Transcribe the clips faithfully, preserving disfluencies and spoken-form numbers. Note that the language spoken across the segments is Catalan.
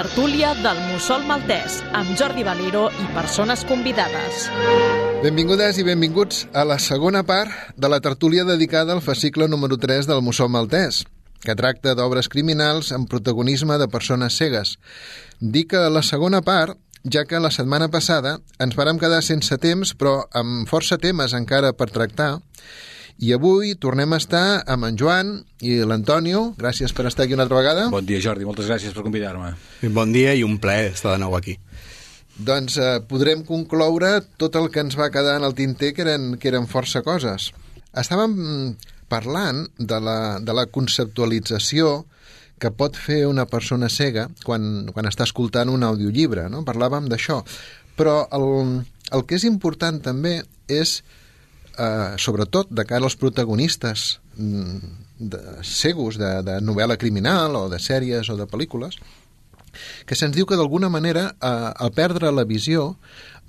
tertúlia del Mussol Maltès, amb Jordi Valero i persones convidades. Benvingudes i benvinguts a la segona part de la tertúlia dedicada al fascicle número tres del Mussol Maltès, que tracta d'obres criminals amb protagonisme de persones cegues. Dic a la segona part, ja que la setmana passada ens vàrem quedar sense temps, però amb força temes encara per tractar, i avui tornem a estar amb en Joan i l'Antonio. Gràcies per estar aquí una altra vegada. Bon dia, Jordi, moltes gràcies per convidar-me. Bon dia i un plaer estar de nou aquí. Doncs eh, podrem concloure tot el que ens va quedar en el tinter, que eren, que eren força coses. Estàvem parlant de la, de la conceptualització que pot fer una persona cega quan, quan està escoltant un audiollibre, no? Parlàvem d'això. Però el, el que és important també és, eh, sobretot de cara als protagonistes de, cegos de, de novel·la criminal o de sèries o de pel·lícules, que se'ns diu que d'alguna manera, eh, al perdre la visió,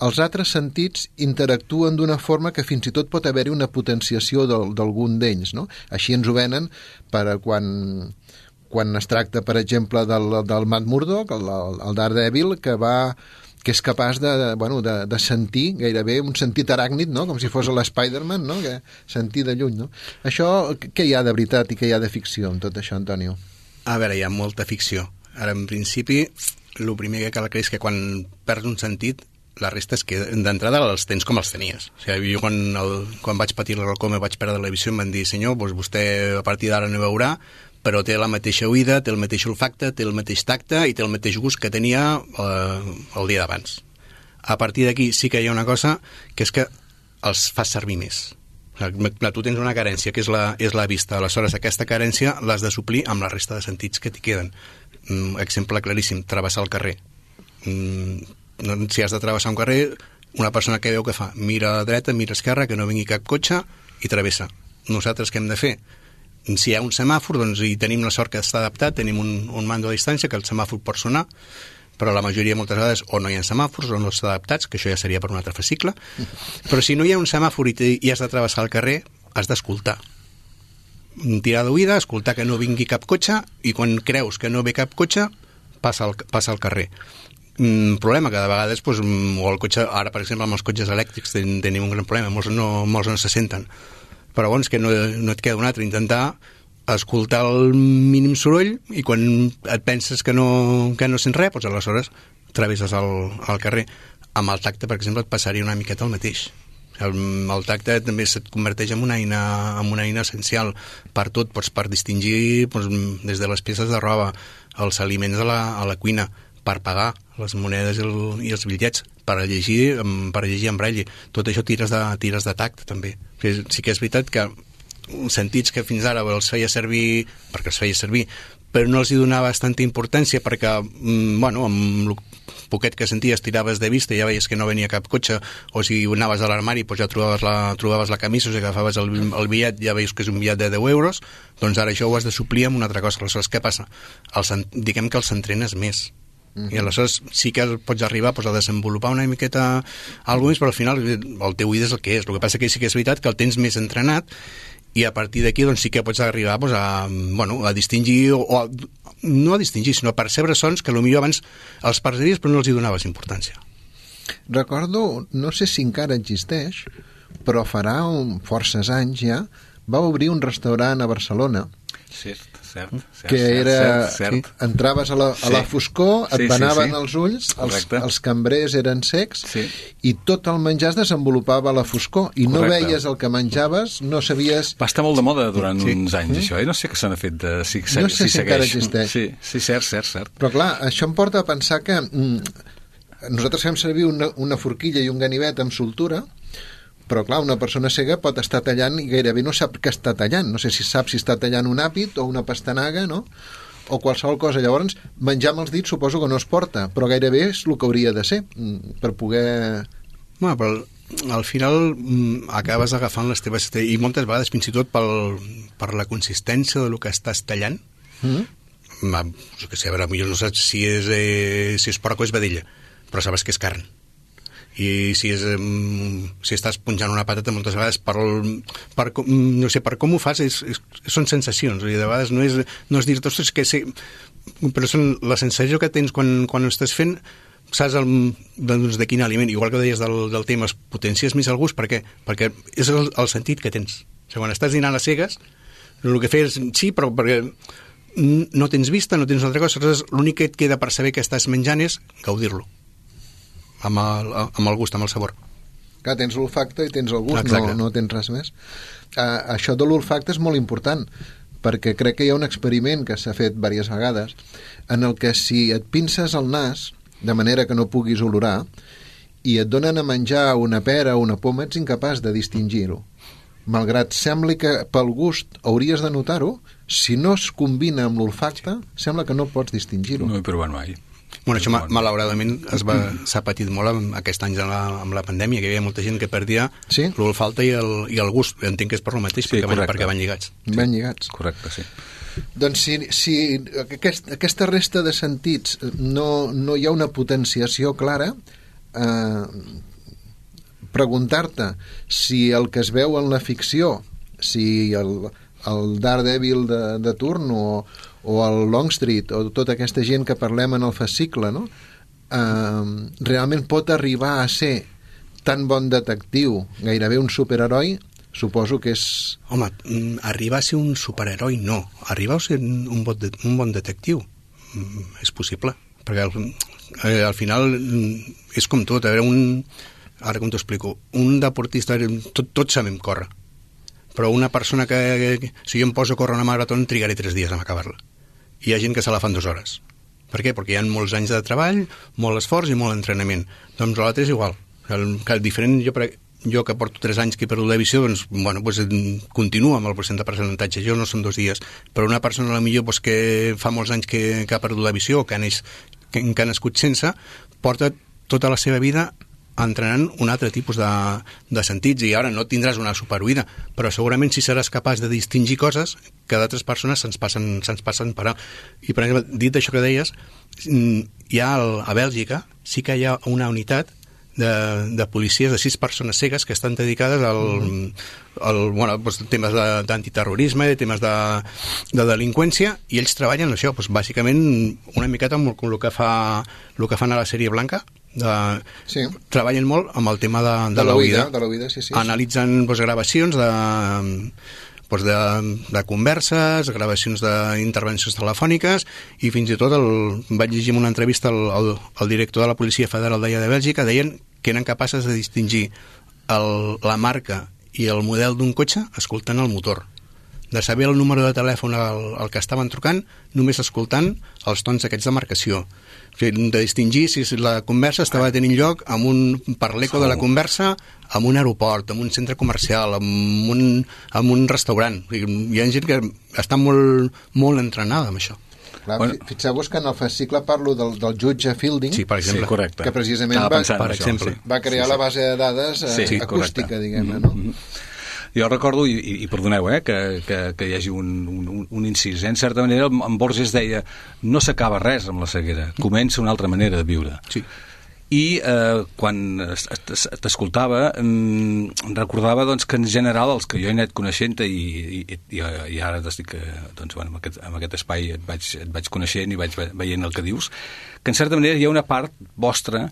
els altres sentits interactuen d'una forma que fins i tot pot haver-hi una potenciació d'algun d'ells, no? Així ens ho venen per quan, quan es tracta, per exemple, del, del Matt Murdock, el, el Daredevil, que va que és capaç de, de, bueno, de, de sentir gairebé un sentit aràcnid, no? Com si fos l'Spider-Man, no? Que sentir de lluny, no? Això, què hi ha de veritat i què hi ha de ficció en tot això, Antonio? A veure, hi ha molta ficció. Ara, en principi, el primer que cal creure és que quan perds un sentit, la resta és que d'entrada els tens com els tenies. O sigui, jo quan, el, quan vaig patir la glaucoma vaig perdre la visió, em van dir, senyor, doncs vostè a partir d'ara no veurà, però té la mateixa oïda, té el mateix olfacte, té el mateix tacte i té el mateix gust que tenia eh, el dia d'abans. A partir d'aquí sí que hi ha una cosa, que és que els fas servir més. O sigui, tu tens una carència, que és la, és la vista. Aleshores, aquesta carència l'has de suplir amb la resta de sentits que t'hi queden. Mm, exemple claríssim, travessar el carrer. Mm, si has de travessar un carrer, una persona que veu que fa, mira a dreta, mira a esquerra, que no vingui cap cotxe i travessa. Nosaltres què hem de fer? Si hi ha un semàfor, doncs hi tenim la sort que està adaptat, tenim un, un mando a distància que el semàfor pot sonar, però la majoria moltes vegades o no hi ha semàfors o no estan adaptats, que això ja seria per un altre fascicle, però si no hi ha un semàfor i, i has de travessar el carrer, has d'escoltar. Tirar d'oïda, escoltar que no vingui cap cotxe i quan creus que no ve cap cotxe, passa el, passa el carrer. Mm, problema que de vegades doncs, o el cotxe, ara per exemple amb els cotxes elèctrics ten, tenim un gran problema, molts no, molts no se senten, però llavors que no, no et queda un altre, intentar escoltar el mínim soroll i quan et penses que no, que no sents res, doncs aleshores travesses el, el carrer. Amb el tacte, per exemple, et passaria una miqueta el mateix. El, el tacte també se't converteix en una eina, en una eina essencial per tot, doncs, per distingir doncs, des de les peces de roba, els aliments a la, a la cuina, per pagar les monedes i, el, i els bitllets, per llegir, per llegir en braille. Tot això tires de, tires de tacte, també. Sí que és veritat que sentits que fins ara els feia servir, perquè els feia servir, però no els hi donava tanta importància perquè, bueno, amb el poquet que senties tiraves de vista i ja veies que no venia cap cotxe, o si anaves a l'armari doncs ja trobaves la, trobaves la camisa, o si agafaves el, el bitllet ja veies que és un bitllet de deu euros, doncs ara això ho has de suplir amb una altra cosa. Aleshores, què passa? Els, diguem que els entrenes més. Mm-hmm. I aleshores sí que pots arribar doncs, a desenvolupar una miqueta alguna més, però al final el teu oïda és el que és. El que passa que sí que és veritat que el tens més entrenat i a partir d'aquí doncs, sí que pots arribar doncs, a, bueno, a distingir o, o a, no a distingir, sinó a percebre sons que potser abans els perceiries però no els hi donaves importància. Recordo, no sé si encara existeix, però farà un, forces anys ja, va obrir un restaurant a Barcelona. Cert, cert, cert, que era, cert, cert. Sí, entraves a la, a la foscor, et sí, banaven sí, sí. els ulls, els, els cambrers eren secs, sí. I tot el menjar es desenvolupava a la foscor, i correcte. No veies el que menjaves, no sabies... Va estar molt de moda durant sí. uns anys, mm. això, eh? No sé què se n'ha fet de... Si, si, no sé si, si encara existeix. Sí, sí, cert, cert, cert. Però clar, això em porta a pensar que mm, nosaltres fem servir una, una forquilla i un ganivet amb soltura, però clar, una persona cega pot estar tallant i gairebé no sap què està tallant. No sé si sap si està tallant un àpid o una pastanaga, no? O qualsevol cosa. Llavors, menjar amb els dits suposo que no es porta, però gairebé és el que hauria de ser, per poder... Bueno, però al final mm, acabes agafant les teves... I moltes vegades, fins i tot pel, per la consistència del que estàs tallant, mm. jo què sé, a veure, potser no saps si és, eh, si és porc o és vedella, però sabes que és carn. i si, és, si estàs punxant una patata moltes vegades per, per, no sé, per com ho fas és, és, són sensacions, i de vegades no és, no és dir-te, ostres, que sí, però són la sensació que tens quan, quan ho estàs fent, saps el, doncs, de quin aliment, igual que deies del, del tema, es potencies més el gust, per què? Perquè és el, el sentit que tens. O sigui, quan estàs dinant a cegues, el que fes, sí, però perquè no tens vista, no tens una altra cosa, l'únic que et queda per saber que estàs menjant és gaudir-lo. Amb el, amb el gust, amb el sabor. Clar, tens l'olfacte i tens el gust, no, no tens res més. Uh, això de l'olfacte és molt important, perquè crec que hi ha un experiment que s'ha fet diverses vegades, en el que si et pinces el nas, de manera que no puguis olorar, i et donen a menjar una pera o una poma, ets incapaç de distingir-ho. Malgrat sembli que pel gust hauries de notar-ho, si no es combina amb l'olfacte, sembla que no pots distingir-ho. No he provat mai. Bueno, això malauradament s'ha patit molt amb aquests anys amb la, amb la pandèmia, que hi havia molta gent que perdia sí? l'olfacte i, el, i el gust. Entenc que és per lo mateix, sí, perquè, van, perquè van lligats. Van lligats. Correcte, sí. Doncs si, si aquest, aquesta resta de sentits no, no hi ha una potenciació clara, eh, preguntar-te si el que es veu en la ficció, si el, el Daredevil de, de turn o o el Longstreet, o tota aquesta gent que parlem en el fascicle, no? Uh, realment pot arribar a ser tan bon detectiu, gairebé un superheroi, suposo que és... Home, arribar a ser un superheroi no, arribar a ser un bon, de, un bon detectiu és possible, perquè al, eh, al final és com tot, a veure, un, ara com t'ho explico, un deportista, tot, tots sabem córrer, però una persona que, que si jo em poso a córrer una marató trigaré tres dies a acabar-la. Hi ha gent que se la fan dues hores. Per què? Perquè hi ha molts anys de treball, molt esforç i molt entrenament. Doncs l'altre és igual. El, el diferent, jo, jo que porto tres anys que he perdut la visió, doncs, bueno, doncs, continua amb el procent de percentatge. Jo no són dos dies. Però una persona, a la millor, doncs, que fa molts anys que, que ha perdut la visió o que ha, neix, que, que ha nascut sense, porta tota la seva vida entrenant un altre tipus de, de sentits, i ara no tindràs una superoïda, però segurament si seràs capaç de distingir coses que d'altres persones se'ns passen, se'ns passen per a... I per exemple, dit això que deies, hi ha el, a Bèlgica sí que hi ha una unitat de, de policies de sis persones cegues que estan dedicades al, al bueno, doncs, temes d'antiterrorisme, temes de, de delinqüència, i ells treballen això, doncs, bàsicament una miqueta amb el que, fa, el que fan a la sèrie blanca. De, sí. Treballen molt amb el tema de, de, de l'oïda, sí, sí, analitzen doncs, gravacions de, doncs, de, de converses, gravacions d'intervencions telefòniques, i fins i tot el, vaig llegir en una entrevista el, el, el director de la Policia Federal d'allà de Bèlgica, deien que eren capaces de distingir el, la marca i el model d'un cotxe escoltant el motor, de saber el número de telèfon al, al que estaven trucant només escoltant els tons aquests de marcació, de distingir si la conversa estava tenint lloc amb un, per l'eco de la conversa, amb un aeroport, amb un centre comercial, amb un, amb un restaurant. Hi ha gent que està molt, molt entrenada amb això. Clar, bueno, fixeu-vos que en el fascicle parlo del, del jutge Fielding, sí, per exemple, sí, correcte, que precisament va, per exemple, va crear sí, sí. la base de dades eh, sí, acústica, diguem-ne, no? Mm-hmm. Jo recordo, i, i perdoneu, eh, que, que, que hi hagi un, un, un incís, eh? En certa manera en Borges deia no s'acaba res amb la ceguera, comença una altra manera de viure. Sí. I eh, quan t'escoltava em recordava doncs, que en general els que jo he anat coneixent i, i, i, i ara estic doncs, bueno, en, aquest, en aquest espai et vaig, et vaig coneixent i vaig veient el que dius, que en certa manera hi ha una part vostra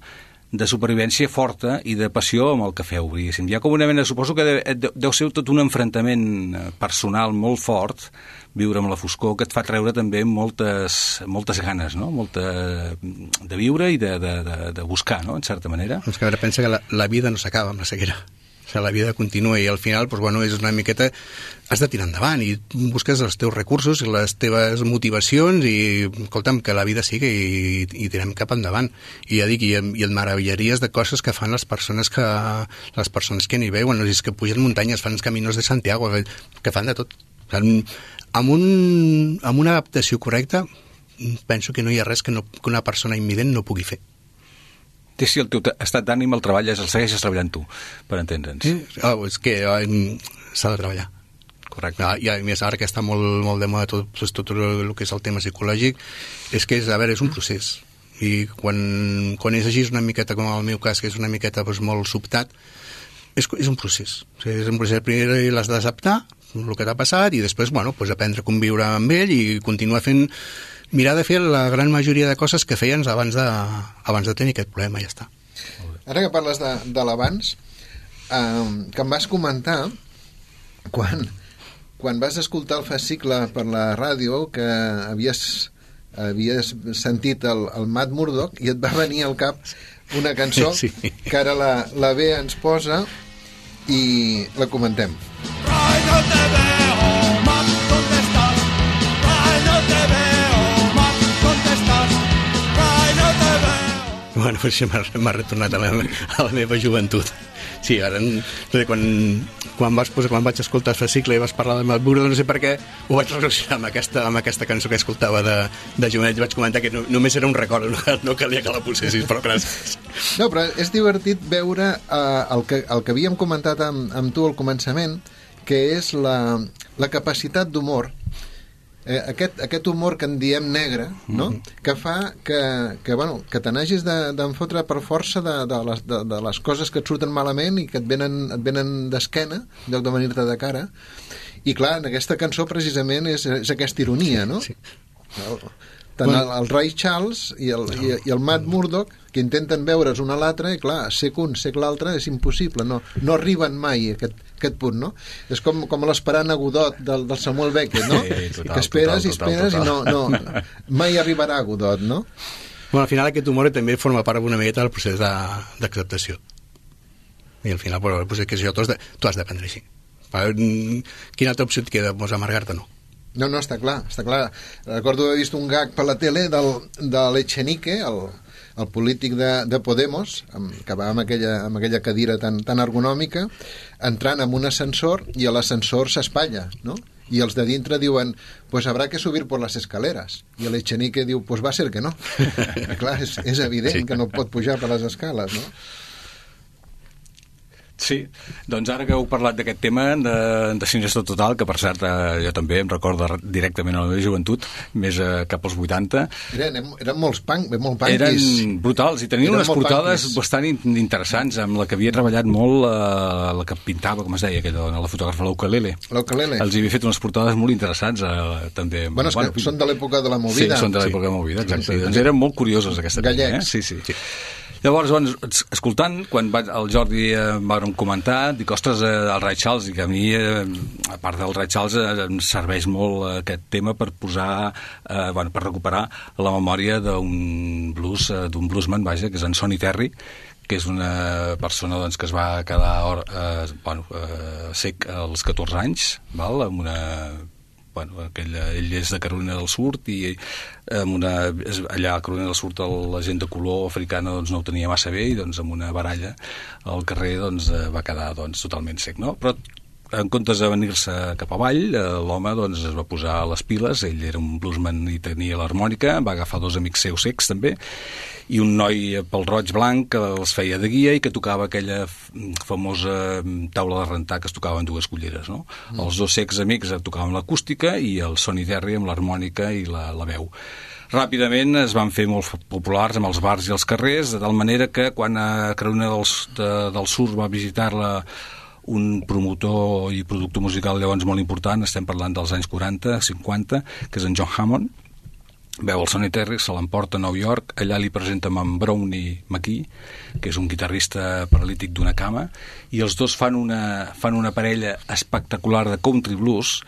de supervivència forta i de passió amb el que feu. Hi ha com una mena, suposo que deu, deu ser tot un enfrontament personal molt fort, viure amb la foscor, que et fa treure també moltes, moltes ganes, no? Molta de viure i de, de, de, de buscar, no? En certa manera. És que a veure, pensa que la, la vida no s'acaba amb la ceguera. O sigui, la vida continua i al final doncs, bueno, és una miqueta... Has de tirar endavant i busques els teus recursos i les teves motivacions i, escolta'm, que la vida sigui i, i tirem cap endavant. I ja dic, i, i et meravillaries de coses que fan les persones que les persones que n'hi veuen, és que pugen muntanyes, fan els caminos de Santiago, que fan de tot. O sigui, amb, un, amb una adaptació correcta penso que no hi ha res que, no, que una persona imvident no pugui fer. Té si el teu estat d'ànim el treballes, el segueixes treballant tu, per entendre'ns. Sí, oh, és que oh, s'ha de treballar. Correcte. Ah, i a més, ara que està molt, molt de moda tot, tot el que és el tema psicològic, és que és, a veure, és un procés. i quan, quan és així una miqueta, com en el meu cas, que és una miqueta doncs, molt sobtat, és, és un procés. O sigui, és un procés, primer l'has d'acceptar, el que t'ha passat, i després, bueno, doncs aprendre a conviure amb ell i continuar fent, mirar de fer la gran majoria de coses que feien abans de, abans de tenir aquest problema, ja està. Ara que parles de, de l'abans, eh, que em vas comentar quan, quan vas escoltar el fascicle per la ràdio que havies, havies sentit el, el Matt Murdock i et va venir al cap una cançó sí. que ara la, la B ens posa i la comentem. Ay, no te veo, Matt, ¿dónde estás? Ay, no te veo, Matt, ¿dónde estás? Ay, no te veo. Bueno, pues m'ha retornat a la, a la meva joventut. Sí, ara, quan, quan, vas, pues, quan vaig escoltar el fascicle i vas parlar de Matt Murdock, no sé per què, ho vaig relacionar amb aquesta, amb aquesta cançó que escoltava de, de jovenet, i vaig comentar que no, només era un record, no, no calia que la posessis, però gràcies. No, però és divertit veure eh, el, que, el que havíem comentat amb, amb tu al començament, que és la, la capacitat d'humor, eh, aquest, aquest humor que en diem negre, no? Mm-hmm. que fa que, que, bueno, que te n'hagis d'enfotre per força de, de, les, de, de les coses que et surten malament i que et venen, et venen d'esquena, en lloc de venir-te de cara. I clar, en aquesta cançó precisament és, és aquesta ironia, no? Sí. El, tant el, el Ray Charles i el, no. i, i el Matt Murdock, que intenten veure's un a l'altre, i clar, sec un, sec l'altre, és impossible, no, no arriben mai a aquest, aquest punt, no? És com, com l'esperant a Godot del, del Samuel Beckett, no? Sí, total, que esperes total, i esperes total, total. i no, no, mai arribarà a Godot, no? Bueno, al final aquest humor també forma part una miqueta del procés d'acceptació. I al final, pues, pues, que això tu has de, tu has d'aprendre així. Quina altra opció et queda? Pues, amargar-te, no. No, no, està clar, està clar. Recordo haver vist un gag per la tele del, de l'Echenique, el, el polític de, de Podemos, amb, que va amb aquella, amb aquella cadira tan, tan ergonòmica, entrant en un ascensor i l'ascensor s'espatlla, no? I els de dintre diuen, pues habrá que subir por las escaleras. I l'Echenique diu, pues va ser que no. Clar, és, és evident sí. que no pot pujar per les escales, no? Sí, doncs ara que heu parlat d'aquest tema de, de Siniestro Total, que per cert eh, jo també em recordo directament a la meva joventut, més eh, cap als vuitanta. Eren, eren molts punk, molt punkis. Eren brutals i tenien eren unes portades punkis. Bastant interessants, amb la que havia treballat molt, eh, la que pintava, com es deia, aquella dona, la fotògrafa, l'Ukelele. L'Ukelele. Els havia fet unes portades molt interessants, eh, també. Bueno, és bueno, que són de l'època de la movida. Sí, són de l'època sí. de la movida, exacte. Sí, sí, sí. Doncs eren molt curiosos aquesta Gallecs. Tema, eh? Sí, sí. sí. Llavors, doncs, escoltant, quan va, el Jordi eh, va comentar, dic, ostres, eh, el Ray Charles, i que a mi, eh, a part del Ray Charles, eh, em serveix molt eh, aquest tema per posar, eh, bueno, per recuperar la memòria d'un blues, eh, d'un bluesman, vaja, que és en Sonny Terry, que és una persona doncs, que es va quedar or, eh, bueno, eh, sec als catorze anys, val? Amb una... Bueno, aquell, ell és de Carolina del Sud i amb una, allà a Carolina del Sud la gent de color africana doncs, no ho tenia massa bé i doncs, amb una baralla al carrer doncs, va quedar doncs, totalment sec, no? Però en comptes de venir-se cap avall, l'home doncs, es va posar les piles, ell era un bluesman i tenia l'harmònica, va agafar dos amics seus secs també, i un noi pel roig blanc que els feia de guia i que tocava aquella famosa taula de rentar que es tocava en dues culleres, no? Mm. Els dos secs amics tocaven l'acústica i el Sonny Terry amb l'harmònica i la, la veu. Ràpidament es van fer molt populars amb els bars i els carrers, de tal manera que quan a Carolina del, de, del Sud va visitar-la un promotor i productor musical llavors molt important, estem parlant dels anys quaranta, cinquanta, que és en John Hammond, veu el Sonny Terry, se l'emporta a Nova York, allà li presenta amb en Brownie McGhee, que és un guitarrista paralític d'una cama, i els dos fan una, fan una parella espectacular de country blues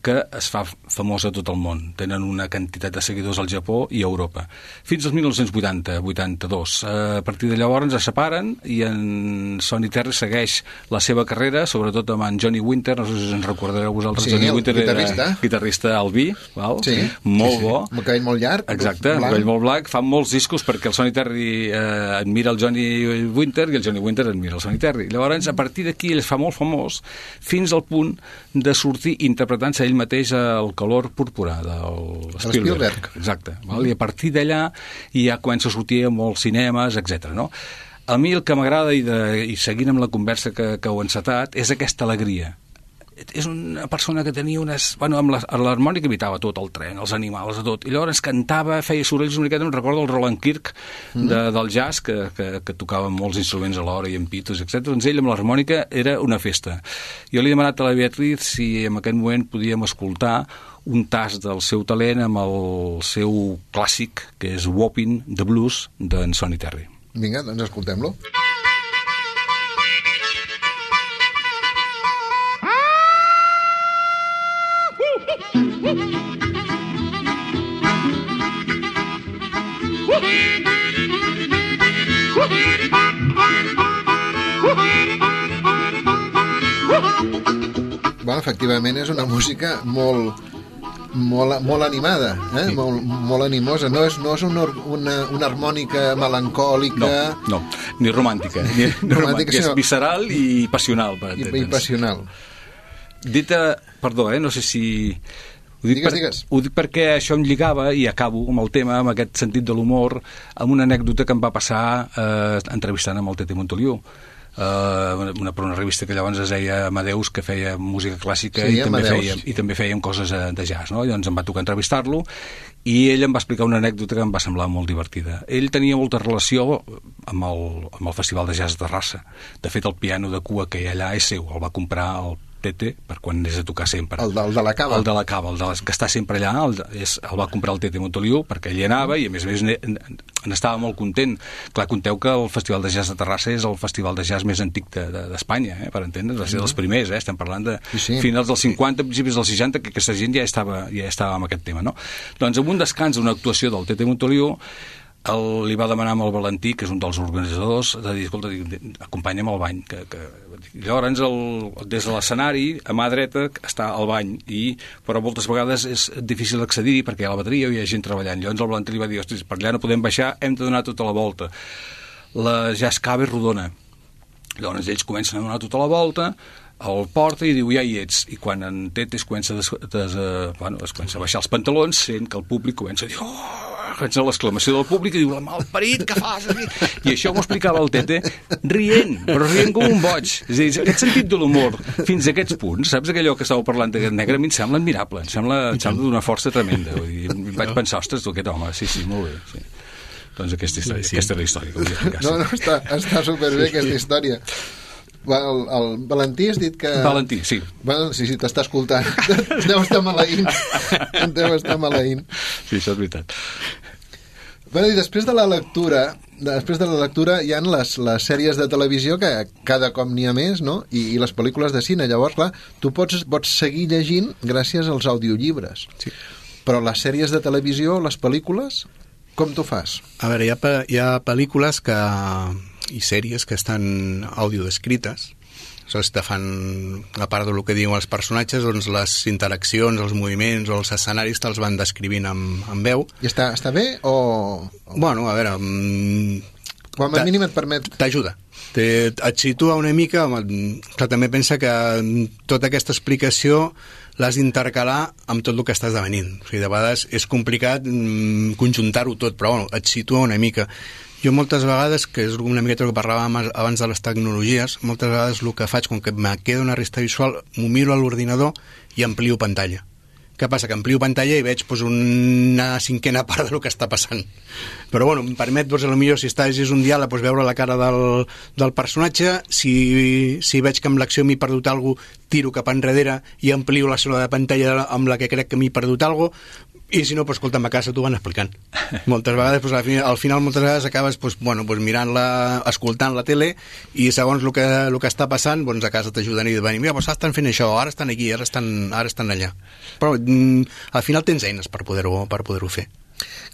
que es fa famosa a tot el món. Tenen una quantitat de seguidors al Japó i a Europa. Fins al dinou vuitanta vuitanta-dos. A partir de llavors es separen i en Sonny Terry segueix la seva carrera, sobretot amb en Johnny Winter, no sé si ens recordareu vosaltres. Sí, Johnny Winter guitarrista. Era guitarrista albí, val? Sí, molt sí, sí. bo. Amb el cabell molt llarg. Exacte, amb el cabell molt blanc. Fan molts discos perquè el Sonny Terry eh, admira el Johnny Winter i el Johnny Winter admira el Sonny Terry. Llavors, a partir d'aquí, ell es fa molt famós fins al punt de sortir interpretant-se ell mateix el color púrpura del Spielberg. Spielberg. Exacte. Val? I a partir d'allà ja comença a sortir a molts cinemes, etcètera. No? A mi el que m'agrada, i, de, i seguint amb la conversa que, que heu encetat, és aquesta alegria. és una persona que tenia unes... Bueno, amb l'harmònica imitava tot, el tren, els animals, tot. I llavors cantava, feia sorolls una miqueta, em recordo el Roland Kirk de, del jazz, que, que, que tocava molts instruments alhora i amb pitos, etcètera. Doncs ell amb l'harmònica era una festa. Jo li he demanat a la Beatriz si en aquest moment podíem escoltar un tast del seu talent amb el seu clàssic, que és Whopping the Blues, d'en Sonny Terry. Vinga, doncs escoltem-lo. Bueno, efectivament és una música molt, molt, molt animada, eh? Sí. molt, molt animosa. No és, no és una, una, una harmònica melancòlica... No, no, ni romàntica. Ni, ni romàntica, sinó... És visceral i passional. Per I, I passional. Dita, perdó, eh? no sé si... Ho dic, digues, per, digues. ho dic perquè això em lligava, i acabo amb el tema, amb aquest sentit de l'humor, amb una anècdota que em va passar eh, entrevistant amb el Tete Montoliu. Uh, una, per una revista que llavors es deia Amadeus, que feia música clàssica, sí, i, també feia, i també fèiem coses de jazz, no? Llavors em va tocar entrevistar-lo i ell em va explicar una anècdota que em va semblar molt divertida. Ell tenia molta relació amb el, amb el Festival de Jazz de Terrassa. De fet, el piano de cua que hi ha allà és seu, el va comprar el Tete per quan anés a tocar sempre. El de, el de la Cava. El de la Cava, el de les, que està sempre allà, el, és, el va comprar el Tete Montoliu perquè ell hi anava i a més a més n'estava molt content. Clar, conteu que el Festival de Jazz de Terrassa és el festival de jazz més antic d'Espanya, de, de, eh, per entendre, va ser dels primers, eh? Estem parlant de sí, sí. finals dels cinquanta, principis dels seixanta, que aquesta gent ja estava, ja estava amb aquest tema, no? Doncs en un descans d'una actuació del Tete Montoliu, el, li va demanar amb el Valentí, que és un dels organitzadors, de dir, escolta, acompanya'm al bany. Que, que... Llavors, el, des de l'escenari, a mà dreta, està al bany, i, però moltes vegades és difícil accedir perquè hi ha la bateria o hi ha gent treballant. Llavors el Valentí li va dir, ostres, per allà no podem baixar, hem de donar tota la volta. La jazz cava és rodona. Llavors ells comencen a donar tota la volta, el porta i diu, ja hi ets. I quan en Tete es comença, des, des, uh, bueno, es comença a baixar els pantalons, sent que el públic comença a dir, oh, comença l'exclamació del públic i diu, la malparit, què fas? I això m'ho explicava el Tete rient, però rient com un boig. És a dir, aquest sentit de l'humor fins a aquests punts, saps aquellò que estàveu parlant d'aquest negre, a mi em sembla admirable, em sembla, em sembla d'una força tremenda. Vull dir, vaig pensar, ostres, tu aquest home, sí, sí, molt bé. Sí. Doncs aquesta, història, sí, sí. aquesta és la història que vull explicar. No, no, està, està superbé aquesta història. El, el Valentí has dit que... Valentí, sí. Bueno, sí, sí, t'està escoltant. Deu estar maleint. Deu estar maleint. Sí, això és veritat. Bueno, i després de la lectura, després de la lectura hi ha les, les sèries de televisió, que cada cop n'hi ha més, no? I, i les pel·lícules de cine. Llavors, clar, tu pots, pots seguir llegint gràcies als audiollibres. Sí. Però les sèries de televisió, les pel·lícules, com t'ho fas? A veure, hi ha, hi ha pel·lícules que... i sèries que estan audiodescrites. Aleshores te fan, a part del que diuen els personatges, doncs les interaccions, els moviments o els escenaris te'ls van descrivint amb, amb veu. I està, està bé o...? Bueno, a veure... Com a mínim et permet... T'ajuda. Et situa una mica, però també pensa que tota aquesta explicació l'has d'intercalar amb tot el que estàs devenint. O sigui, de vegades és complicat conjuntar-ho tot, però bueno, et situa una mica. Jo moltes vegades, que és una miqueta el que parlàvem abans de les tecnologies, moltes vegades el que faig, com que me queda una resta visual, m'ho miro a l'ordinador i amplio pantalla. Què passa? Que amplio pantalla i veig pues, una cinquena part del que està passant. Però bueno, em permet, doncs, potser si estàs és un diàleg, pues, veure la cara del, del personatge. Si, si veig que amb l'acció m'he perdut alguna cosa, tiro cap enrere i amplio la zona de pantalla amb la que crec que m'he perdut alguna cosa. I si no, pues, escolta'm, a casa t'ho van explicant. Moltes vegades, pues, al, final, al final, moltes vegades acabes pues, bueno, pues, mirant-la, escoltant la tele, i segons el que, el que està passant, doncs a casa t'ajuden i diuen, mira, pues, estan fent això, ara estan aquí, ara estan, ara estan allà. Però mm, al final tens eines per poder-ho per poder-ho fer.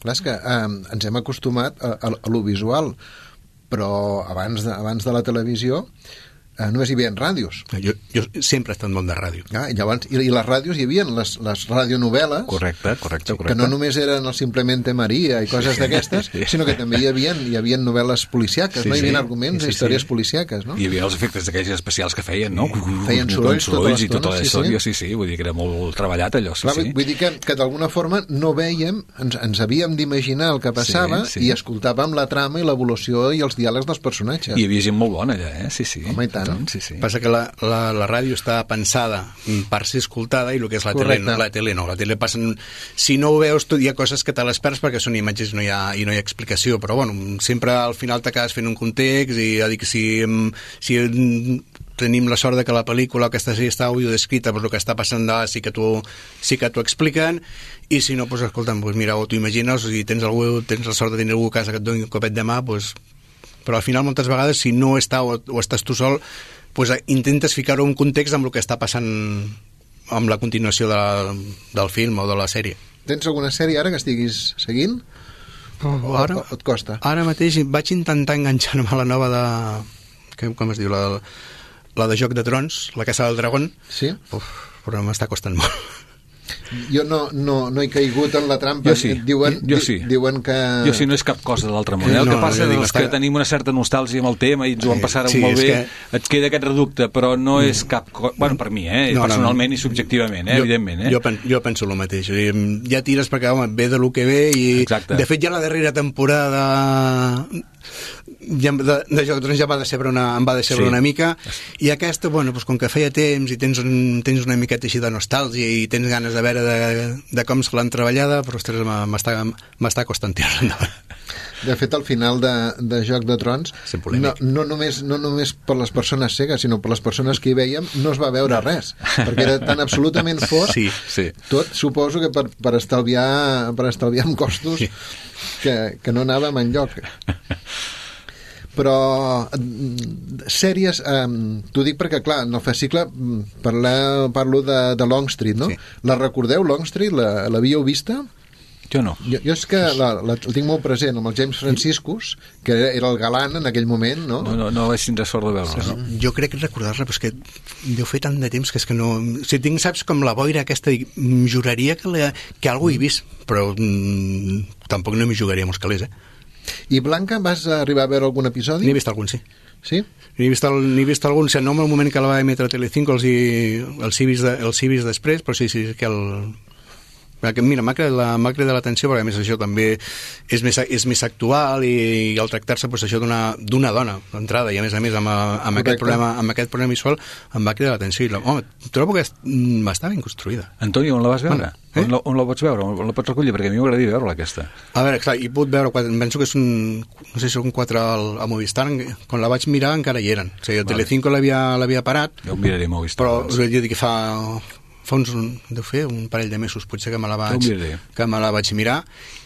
Clar, és que eh, ens hem acostumat a, a, a lo visual, però abans de, abans de la televisió eh, només hi havia ràdios. Jo, jo sempre he estat molt de ràdio. Ah, i, llavors, i, I les ràdios hi havia les, les radionovel·les. Correcte, correcte, correcte. Que no només eren el Simplemente Maria i coses d'aquestes, sí. sinó que també hi havia, hi havia novel·les policíaques, sí, no? Hi havia sí. arguments, sí, sí, històries sí. policíaques, no? Hi havia els efectes d'aquells especials que feien, no? Feien sorolls, sorolls i tota la història, sí, sí, vull dir que era molt treballat allò, sí, Clar, sí. Vull dir que, que d'alguna forma no veiem, ens, ens havíem d'imaginar el que passava sí, sí. i escoltàvem la trama i l'evolució i els diàlegs dels personatges. Hi havia gent molt bona allà, eh? Sí, sí. Home, i tant. no? Sí, sí. Passa que la, la, la ràdio està pensada per ser escoltada i el que és la Correcte. tele, no, la tele no. La tele passen... Si no ho veus, tu hi ha coses que te les perds perquè són imatges i no hi ha, i no hi ha explicació, però bueno, sempre al final t'acabes fent un context i ja dic, si, si tenim la sort de que la pel·lícula aquesta sí està audiodescrita, però el que està passant d'ara sí que t'ho sí que t'ho expliquen, i si no, doncs escolta'm, doncs mira, o t'ho imagines, o si tens, algú, tens la sort de tenir algú a casa que et doni un copet de mà, doncs... però al final moltes vegades si no està o, o estàs tu sol, doncs intentes ficar-ho en un context amb el que està passant amb la continuació de la, del film o de la sèrie. Tens alguna sèrie ara que estiguis seguint? O, Ara, o, o et costa? ara mateix vaig intentar enganxar-me a la nova de... Que, com es diu? La, la de Joc de Trons, la Casa del Dragón. Sí? Uf, però m'està costant molt. Jo no, no, no he caigut en la trampa. Jo sí, diuen, jo sí. Diuen que... Jo sí, no és cap cosa de l'altre món. Eh? El No, que passa no, és està... que tenim una certa nostàlgia amb el tema i ens ho vam passar Sí, molt és bé, que- et queda aquest reducte, però no és cap cosa... Bueno, per mi, eh? No, no, personalment no. i subjectivament, eh? Jo, evidentment. Eh? jo, pen, jo penso el mateix. O sigui, ja tires perquè, home, ve de lo que ve i... Exacte. De fet, ja la darrera temporada ja, de, de Joc de Trons ja va decebre una, em va decebre Sí. una mica, i aquesta, bueno, doncs, com que feia temps i tens, un, tens una miqueta així de nostàlgia i tens ganes de veure de, de com se l'han treballada, però, ostres, m'està, m'està costant tirar endavant. De fet, al final de, de Joc de Trons, Sent no, polèmic. no, només, no només per les persones cegues, sinó per les persones que hi veiem, no es va veure res, perquè era tan absolutament fort, Sí, sí. tot suposo que per, per, estalviar, per estalviar en costos, Sí. que, que no anàvem enlloc. Però mm, sèries, eh, t'ho dic perquè, clar, en el fascicle mm, parla, parlo de, de Longstreet, no? Sí. La recordeu, Longstreet? La, l'havíeu vista? Jo no. Jo, jo és que la, la, el tinc molt present amb el James Franciscus, que era, era el galant en aquell moment, no? No, no, no vaig tindre sort de veure no? Jo crec que recordar-la, però és que deu fer tant de temps que és que no... Si tinc, saps, com la boira aquesta, dic, mm, juraria que, la, que algú he vist, però mm, tampoc no m'hi jugaria molts calés, eh? I Blanca, vas arribar a veure algun episodi? N'he vist algun, sí. Sí? N'he vist, el, n'he vist algun, o sigui, no en el moment que la va emetre a Telecinco, els, hi, els, he vist de, els he vist després, però sí, sí, que el... Perquè, mira, m'ha cridat la- m'ha cridat l'atenció perquè a més això també és més, és més actual i, i al tractar-se pues, això d'una d'una dona d'entrada i a més a més amb, amb, aquest Correcte. problema, amb aquest problema visual em va cridar l'atenció i la, home, trobo que est- mm, està ben construïda. Antonio, on la vas veure? Bueno, eh? on, la, on la pots veure? On la pots recollir? Perquè a mi m'agradaria veure-la, aquesta. A veure, clar, he pogut veure, quatre, penso que són, no sé si són quatre al, a Movistar, quan la vaig mirar encara hi eren. O sigui, a Vale. Telecinco l'havia l'havia parat, Ja ho miraré molt vist. però us he de dir que fa, fa uns, deu fer un parell de mesos potser que me la vaig, Ja ho miraré. que me la vaig mirar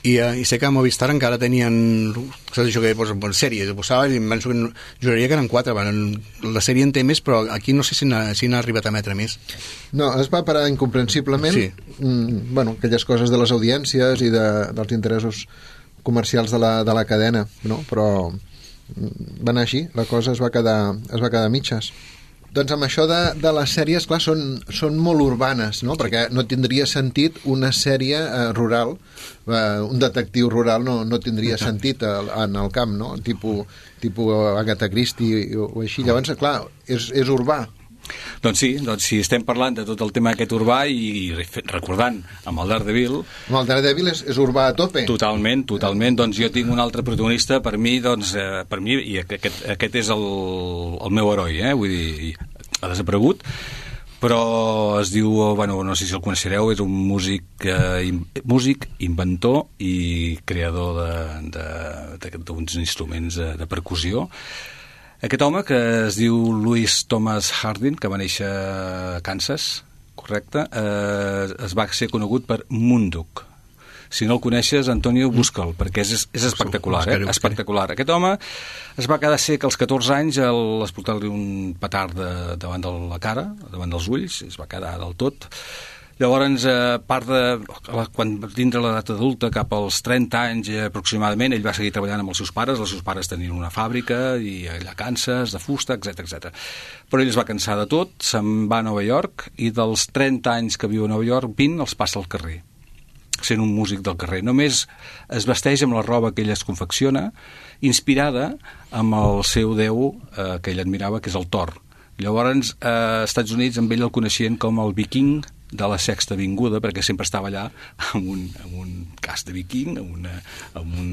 i, eh, i sé que a Movistar encara tenien saps això que pues, pues, sèries, posaven i em penso que no, juraria que eren quatre bueno, la sèrie en té més però aquí no sé si n'ha, si n'ha arribat a emetre més. No, es va parar incomprensiblement. Sí. Mm, bueno, aquelles coses de les audiències i de, dels interessos comercials de la, de la cadena, no? Però mm, va anar així, la cosa es va quedar, es va quedar a mitges. Doncs amb això de, de les sèries, clar, són, són molt urbanes, no? Perquè no tindria sentit una sèrie eh, rural, eh, un detectiu rural no, no tindria sentit al, en el camp, no? Tipo, tipo Agatha Christie o, o així. Llavors, clar, és, és urbà. Doncs sí, doncs si estem parlant de tot el tema aquest urbà i, i recordant amb el Daredevil, Amb el Daredevil és, és urbà a tope. totalment, totalment, doncs jo tinc un altre protagonista per mi, doncs, eh, per mi i aquest, aquest és el, el meu heroi, eh? Vull dir, ha desaparegut, però es diu, bueno, no sé si el coneixereu, és un músic, eh, in, músic, inventor i creador de, de, de, d'uns instruments de, de percussió. Aquest home, que es diu Louis Thomas Harding, que va néixer a Kansas, correcte, eh, es va ser conegut per Munduk. Si no el coneixes, Antonio, busca'l, perquè és, és espectacular, eh? Buscaré, buscaré. Espectacular. Aquest home es va quedar sec als catorze anys al explotar-li un petard de, davant de la cara, davant dels ulls, es va quedar del tot. Llavors, a part de... Quan va tindre l'edat adulta, cap als trenta anys eh, aproximadament, ell va seguir treballant amb els seus pares. Els seus pares tenien una fàbrica i allà a Kansas, de fusta, etcètera, etcètera. Però ell es va cansar de tot, se'n va a Nova York i dels trenta anys que viu a Nova York, vint els passa al carrer, sent un músic del carrer. Només es vesteix amb la roba que ell es confecciona, inspirada amb el seu déu eh, que ell admirava, que és el Thor. Llavors, eh, als Estats Units amb ell el coneixien com el viking de la Sexta Avinguda, perquè sempre estava allà amb un, amb un casc de viking, amb una, amb un,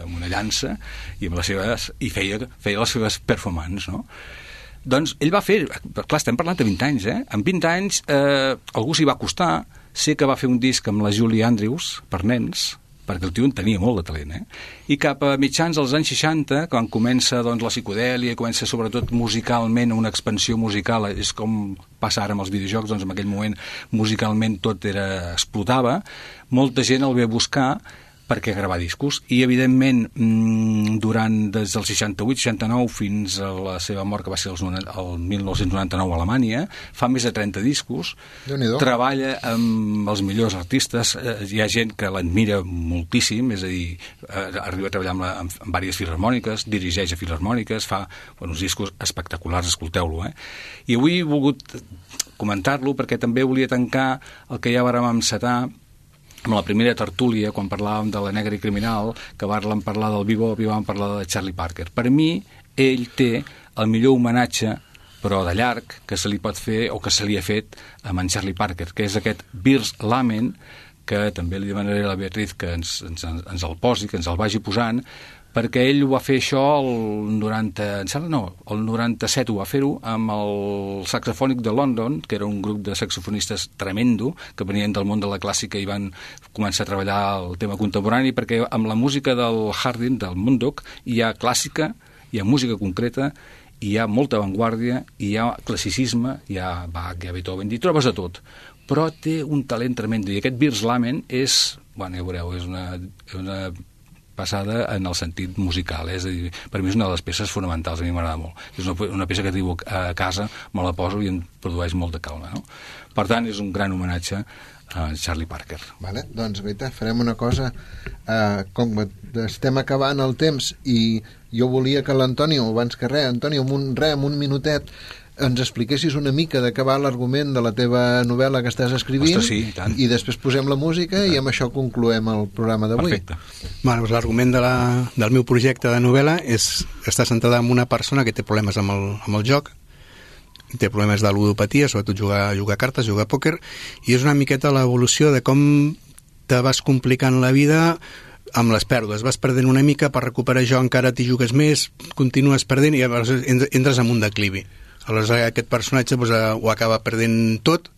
amb una llança, i, amb les seves, i feia, feia les seves performances, no? Doncs ell va fer, clar, estem parlant de vint anys, eh? En vint anys eh, algú s'hi va costar, sé que va fer un disc amb la Julie Andrews, per nens, perquè el tio en tenia molt de talent, eh? I cap a mitjans dels anys seixanta, quan comença doncs, la psicodèlia, comença sobretot musicalment una expansió musical, és com passa ara amb els videojocs, doncs en aquell moment musicalment tot era, explotava, molta gent el ve a buscar perquè gravar discos, i evidentment durant des del seixanta-vuit seixanta-nou fins a la seva mort, que va ser el mil nou-cents noranta-nou a Alemanya, fa més de trenta discos, treballa amb els millors artistes, hi ha gent que l'admira moltíssim, és a dir, arriba a treballar amb, la, amb, amb diverses filharmòniques, dirigeix a filharmòniques, fa bueno, uns discos espectaculars, escolteu-lo, eh? I avui he volgut comentar-lo perquè també volia tancar el que ja vàrem encetar amb la primera tertúlia, quan parlàvem de la Negra i Criminal, que vam parlar del Bebop i vam parlar de Charlie Parker. Per mi, ell té el millor homenatge, però de llarg, que se li pot fer o que se li ha fet amb en Charlie Parker, que és aquest Beers Lament, que també li demanaré a la Beatriz que ens, ens, ens el posi, que ens el vagi posant, perquè ell ho va fer això el noranta, em sembla, no, el noranta-set ho va fer-ho amb el Saxofònic de London, que era un grup de saxofonistes tremendo, que venien del món de la clàssica i van començar a treballar el tema contemporani, perquè amb la música del Hardin, del Mundok, hi ha clàssica, hi ha música concreta, hi ha molta avantguàrdia, hi ha classicisme, hi ha Bach, hi ha Beethoven, hi trobes a tot, però té un talent tremendo, i aquest Beers Lament és, bueno, ja veureu, és una... una passada en el sentit musical, eh? És a dir, per mi és una de les peces fonamentals, a mi m'agrada molt. És una, una peça que arribo a casa, me la poso i em produeix molt de calma, no? Per tant, és un gran homenatge a Charlie Parker. Vale, doncs, Rita, farem una cosa. Uh, com estem acabant el temps i jo volia que l'Antonio, abans que res, Antonio, amb un, res, amb un minutet, ens expliquessis una mica de què va l'argument de la teva novel·la que estàs escrivint. Ostres, sí, i tant. I després posem la música i, i amb això concloem el programa d'avui. Perfecte. Bueno, doncs l'argument de la, del meu projecte de novel·la és està centrada en una persona que té problemes amb el, amb el joc, té problemes de ludopatia, sobretot jugar, jugar a cartes, jugar a pòquer, i és una miqueta l'evolució de com te vas complicant la vida amb les pèrdues. Vas perdent una mica, per recuperar jo encara t'hi jugues més, continues perdent i llavors entres en un declivi. Aleshores aquest personatge doncs, ho acaba perdent tot,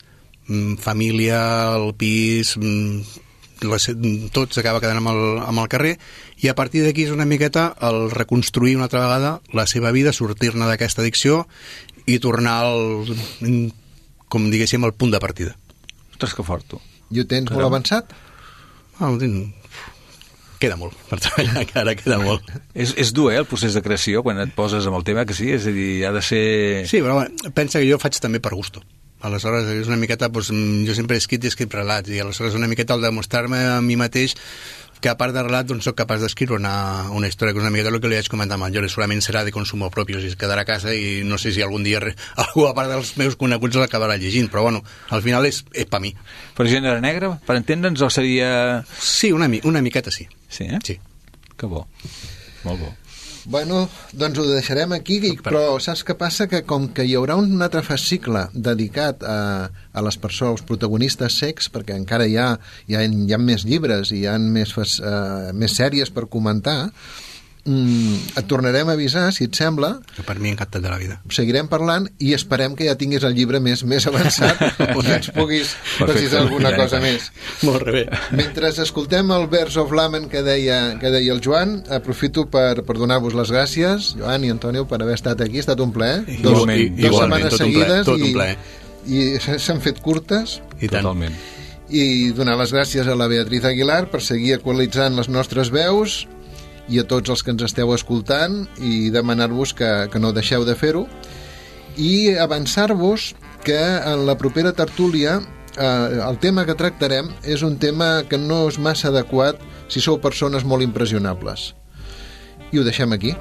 família, el pis, tot s'acaba quedant amb el, amb el carrer, i a partir d'aquí és una miqueta el reconstruir una altra vegada la seva vida, sortir-ne d'aquesta addicció i tornar al, com diguéssim, al punt de partida. Ostres, que fort, tu. I ho tens molt avançat? Ah, ho tinc... Queda molt, per treballar encara queda molt. És, és dur, eh, el procés de creació, quan et poses amb el tema, que sí, és a dir, ha de ser... Sí, però bueno, pensa que jo faig també per gusto. Aleshores, és una miqueta, doncs, jo sempre he escrit i he escrit relats, i aleshores una miqueta el demostrar-me a mi mateix que a part de relat doncs, soc capaç d'escriure una, una història, que és una miqueta el que li vaig comentar amb el Jordi, segurament serà de consumo propi, o sigui, es quedarà a casa i no sé si algun dia re, algú a part dels meus coneguts l'acabarà llegint, però bueno, al final és, és per mi. Per gènere negre, per entendre'ns, o seria... Sí, una, una miqueta sí. Sí, eh? Sí. Que bo, molt bo. Bueno, doncs ho deixarem aquí, però saps què passa? Que com que hi haurà un altre fascicle dedicat a, a les persones, als protagonistes secs, perquè encara hi ha, hi ha, hi ha més llibres i hi ha més, uh, més sèries per comentar, mm, et tornarem a avisar, si et sembla. Per mi encantat de la vida. Seguirem parlant i esperem que ja tinguis el llibre més, més avançat i ens puguis precisar alguna cosa més. Molt bé. Mentre escoltem el Beers of Lament que deia, que deia el Joan, aprofito per, per donar-vos les gràcies, Joan i Antonio, per haver estat aquí. Ha estat un plaer. Dos, igualment, dos igualment, setmanes seguides tot un plaer. i, i s'han fet curtes. I tant. Totalment. I donar les gràcies a la Beatriz Aguilar per seguir actualitzant les nostres veus i a tots els que ens esteu escoltant i demanar-vos que, que no deixeu de fer-ho i avançar-vos que en la propera tertúlia eh, el tema que tractarem és un tema que no és massa adequat si sou persones molt impressionables i ho deixem aquí.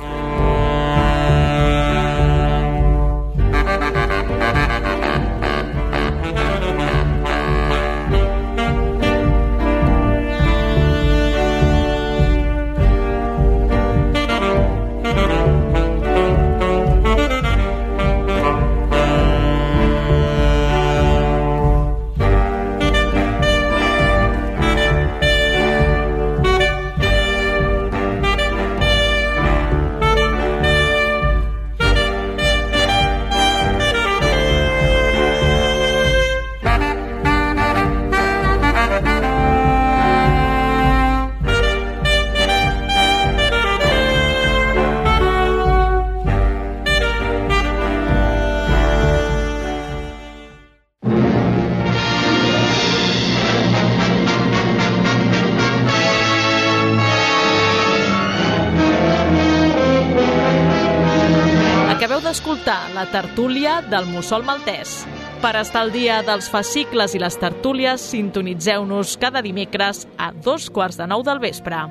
escoltar la tertúlia del Mussol Maltès. Per estar al dia dels fascicles i les tertúlies, sintonitzeu-nos cada dimecres a dos quarts de nou del vespre.